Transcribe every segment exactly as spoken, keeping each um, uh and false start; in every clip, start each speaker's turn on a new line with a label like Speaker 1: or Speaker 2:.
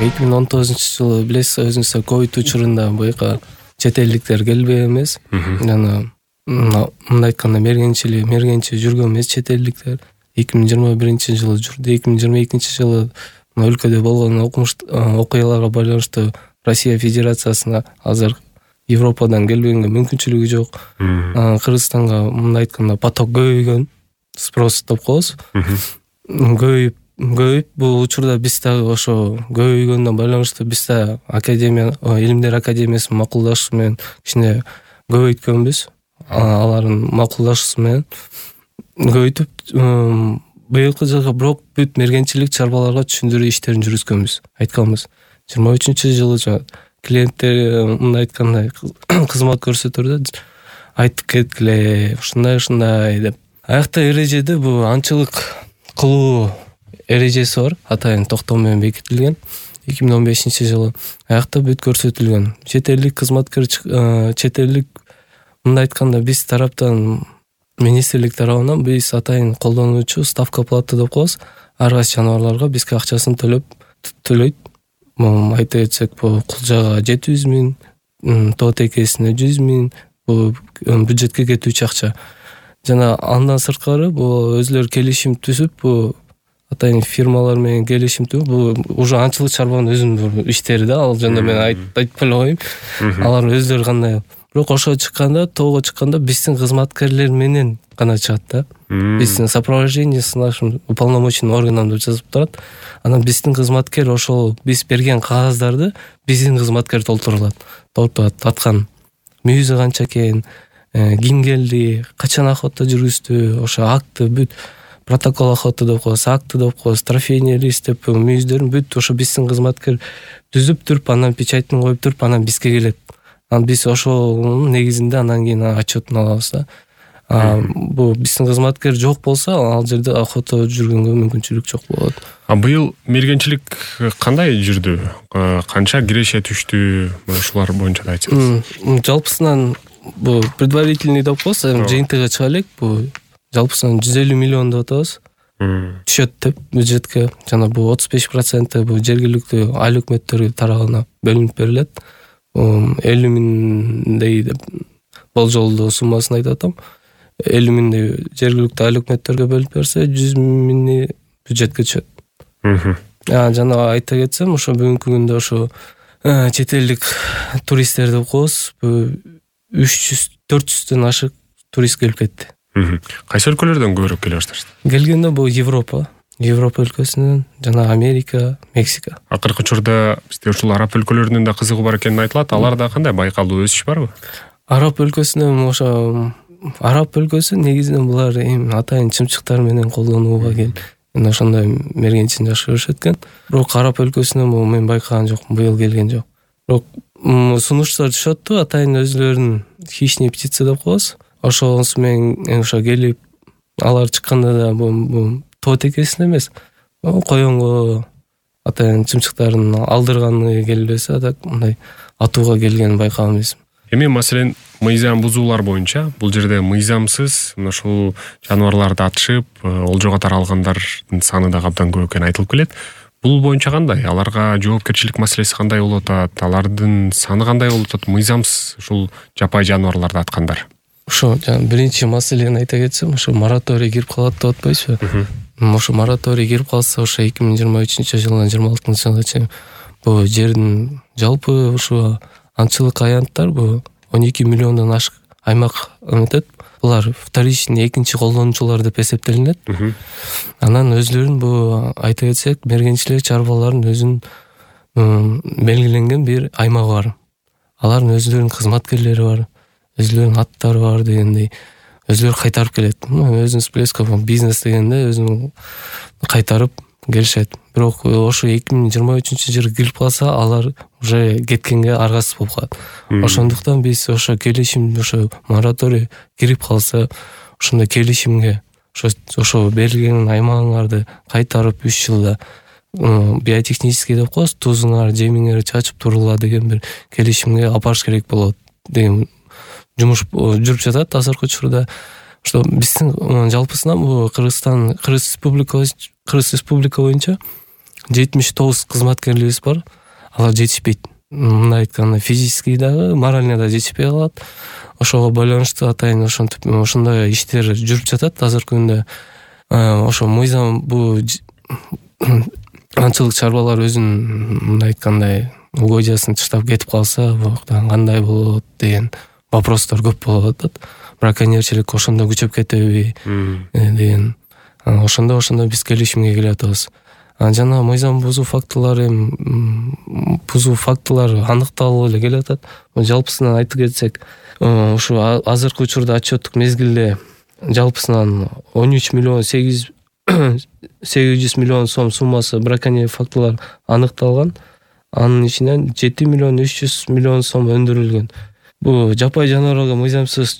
Speaker 1: эки миң он тогузунчу жылы билесиз өзүңүздөр ковид учурунда буяка чет элдиктер келбей эмес. Жана мындай айтканда мергенчилик мергенче жүргөн эмес чет элдиктер. эки миң жыйырма биринчи жылы жүрдү. эки миң жыйырма экинчи жылы өлкөдө болгон окуяларга байланыштуу Россия Федерациясына азыр Европадан келбегенге мүмкүнчүлүгү жок. Кыргызстанга мындай айтканда поток көбөйгөн, спрос деп коебуз. Көбөйүп көбөйүп бул учурда биз дагы ошо көбөйгөндөн байланыштуу биз да академия илимдер академиясынын макулдашуусу менен кичине көбөйткөнбүз. Алардын макулдашуусу менен көбөйтүп быйылкы жылга бирок бүт мергенчилик чарбаларга түшүндүрүү иштерин жүргүзгөнбүз. Айтканбыз жыйырма үчүнчү жылы клиенттер мындай айтканда кызмат көрсөтөрдө айтып кеткиле ушундай ушундай деп. Аякта эрежеде бул анчылык кылуу эрежеси бар, атайын токтом менен бекитилген. эки миң он бешинчи жылы аякта бүт көрсөтүлгөн. Чет элдик кызматкер чет элдик мындай айтканда биз тараптан министрлик тарабынан биз атайын колдонуучу ставка платы деп коебуз. Ар кайсы жаныбарларга бизге акчасын төлөп төлөйт. Айта кетсек, бул кулжага жети жүз миң, тоотекесине жүз миң, бул бюджетке кетүүчү акча. Жана андан сырткары бул өзлөрү келишим түзүп, бул атайын фирмалар менен келишим түзүп, бул уже анчылык чарбанын өзүнүн иштери да, ал жөнүндө мен айтпай эле коеюн. Алар өздөрү кандай. Бирок ошо чыкканда, тоого чыкканда биздин кызматкерлер менен гана чыгат да. Биздин сопровождение с нашим уполномоченным органом деп жазып турат. Анан биздин кызматкер ошол биз берген кагаздарды биздин кызматкер толтурулат. Толтурат аткан мүйүзү канча экен, ким келди, качан охота жүргүздү, ошо акты бүт протокол охота деп коебуз, акты деп коебуз, трофейный лист деп мүйүздөрүн бүт ошо биздин кызматкер түзүп туруп, анан печатын коюп туруп, анан бизге келет. Анан биз ошол негизинде анан кийин отчетун алабыз да. Бул биздин кызматкер жок болсо, ал жерде охота жүргөнгө мүмкүнчүлүк жок болот.
Speaker 2: А быйыл мергенчилик кандай жүрдү? Канча киреше түштү? Ушулар боюнча да айтсаңыз.
Speaker 1: Жалпысынан бул предварительный деп коебуз, жыйынтыгы чыга элек. Бул жалпысынан жүз элүү миллион деп атабыз. Түшөт деп бюджетке. Жана бул отуз беш проценти бул жергиликтүү айыл өкмөттөр тарабынан бөлүнүп берилет. элүү миңдей деп болжолдуу суммасын айтып атам. элүү миңдей жергиликтүү айыл өкмөттөргө бөлүп берсе, жүз миңи бюджетке түшөт. Жана айта кетсем, ошо бүгүнкү күндө ошо чет элдик туристтер деп коебуз, үч жүз төрт жүздөн ашык турист келип кетти.
Speaker 2: Кайсы өлкөлөрдөн көбүрөөк келе башташты?
Speaker 1: Келгенде бул Европа, Европа өлкөсүнөн, жана Америка, Мексика.
Speaker 2: Акыркы учурда бизде ушул араб өлкөлөрүнүн да кызыгуу бар экени айтылат. Аларда кандай байкалуу өсүш барбы?
Speaker 1: Араб өлкөсүнөн ошо араб өлкөсү негизинен булар эми атайын чымчыктар менен колдонууга кел. Мен ошондой мергенчилик жакшы көрүшөт экен. Бирок араб өлкөсүнөн мен байкаган жокмун, быйыл келген жок. Бирок сунуштар түшөттү, атайын өзлөрүнүн хищные птицы деп коебуз. Ошонусу менен ошо келип, алар чыкканда да бул тоотекесин эмес, коёнго атайын чымчыктарын алдырганы келбесе, так мындай атууга келгенин байкаганбыз.
Speaker 2: Эми маселен мыйзам бузуулар боюнча бул жерде мыйзамсыз ушул жаныбарларды атышып, олжого таралгандардын саны да абдан көп экени айтылып келет. Бул боюнча кандай? Аларга жоопкерчилик маселеси кандай болуп атат? Алардын саны кандай болуп атат? Мыйзамсыз ушул жапай жаныбарларды аткандар.
Speaker 1: Ошо биринчи маселени айта кетсем, ошо мораторий кирип калат деп атпайсызбы? Ошо мораторий кирип калса, ошо эки миң жыйырма үчүнчү жылдан жыйырма алтынчы жылга чейин бул жердин жалпы ошо анчылык аянттар бул он эки миллиондон ашык аймак өтөт. Булар вторичный, экинчи колдонуучулар деп эсептелинет. Анан өзлөрүн бул айта кетсек, мергенчилик чарбалардын өзүнүн белгиленген бир аймагы бар. Алардын өзлөрүнүн кызматкерлери бар, өзлөрүнүн аттары бар дегендей. Өзлөрү кайтарып келет. Өзүнүз билесизби, бизнес дегенде өзүн кайтарып келишет. Бирок ошо эки миң жыйырма үчүнчү жылы кирип калса, алар уже кеткенге аргасыз болуп калат. Ошондуктан биз ошо келишим, ошо мораторий кирип калса, ошондой келишимге ошо ошо берилген аймагыңарды кайтарып үч жылда биотехнический деп коебуз, тузуңар, жемиңер чачып турула деген бир келишимге алып барыш керек болот деген жумуш жүрүп жатат азыркы учурда. Что биздин жалпысынан бул Кыргызстан, Кыргыз Республика, Кыргыз Республика боюнча жетимиш тогуз кызматкерлерибиз бар. Алар жетишпейт. Мындай айтканда физически дагы, морально да жетишпей калат. Ошого байланыштуу атайын ошентип ошондой иштер жүрүп жатат азыркы күндө. Ошо мыйзам бул аңчылык чарбалар өзүнүн мындай айткандай угодиясын таштап кетип калса, буяктан кандай болот деген вопростор көп болуп атат. Браконьерчилик ошондо күчөп кетеби деген. Ошондо ошондо биз келишимге келип атабыз. Жана мыйзам бузуу фактылары бузуу фактылары аныкталып эле келип атат. Жалпысынан айтып кетсек, ушу азыркы учурда отчеттук мезгилде жалпысынан он үч миллион сегиз жүз миллион сом суммасы браконьер фактылар аныкталган. Анын ичинен жети миллион үч жүз миллион сом өндүрүлгөн. Бу жапай жаныбарларга мыйзамсыз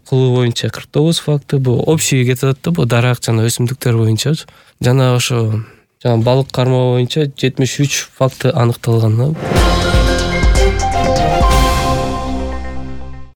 Speaker 1: кылуу боюнча кырк тогуз факты, бу общий кетип атат да, бу дарак жана өсүмдүктөр боюнча. Жана ошо жана балык кармоо боюнча жетимиш үч факты аныкталган.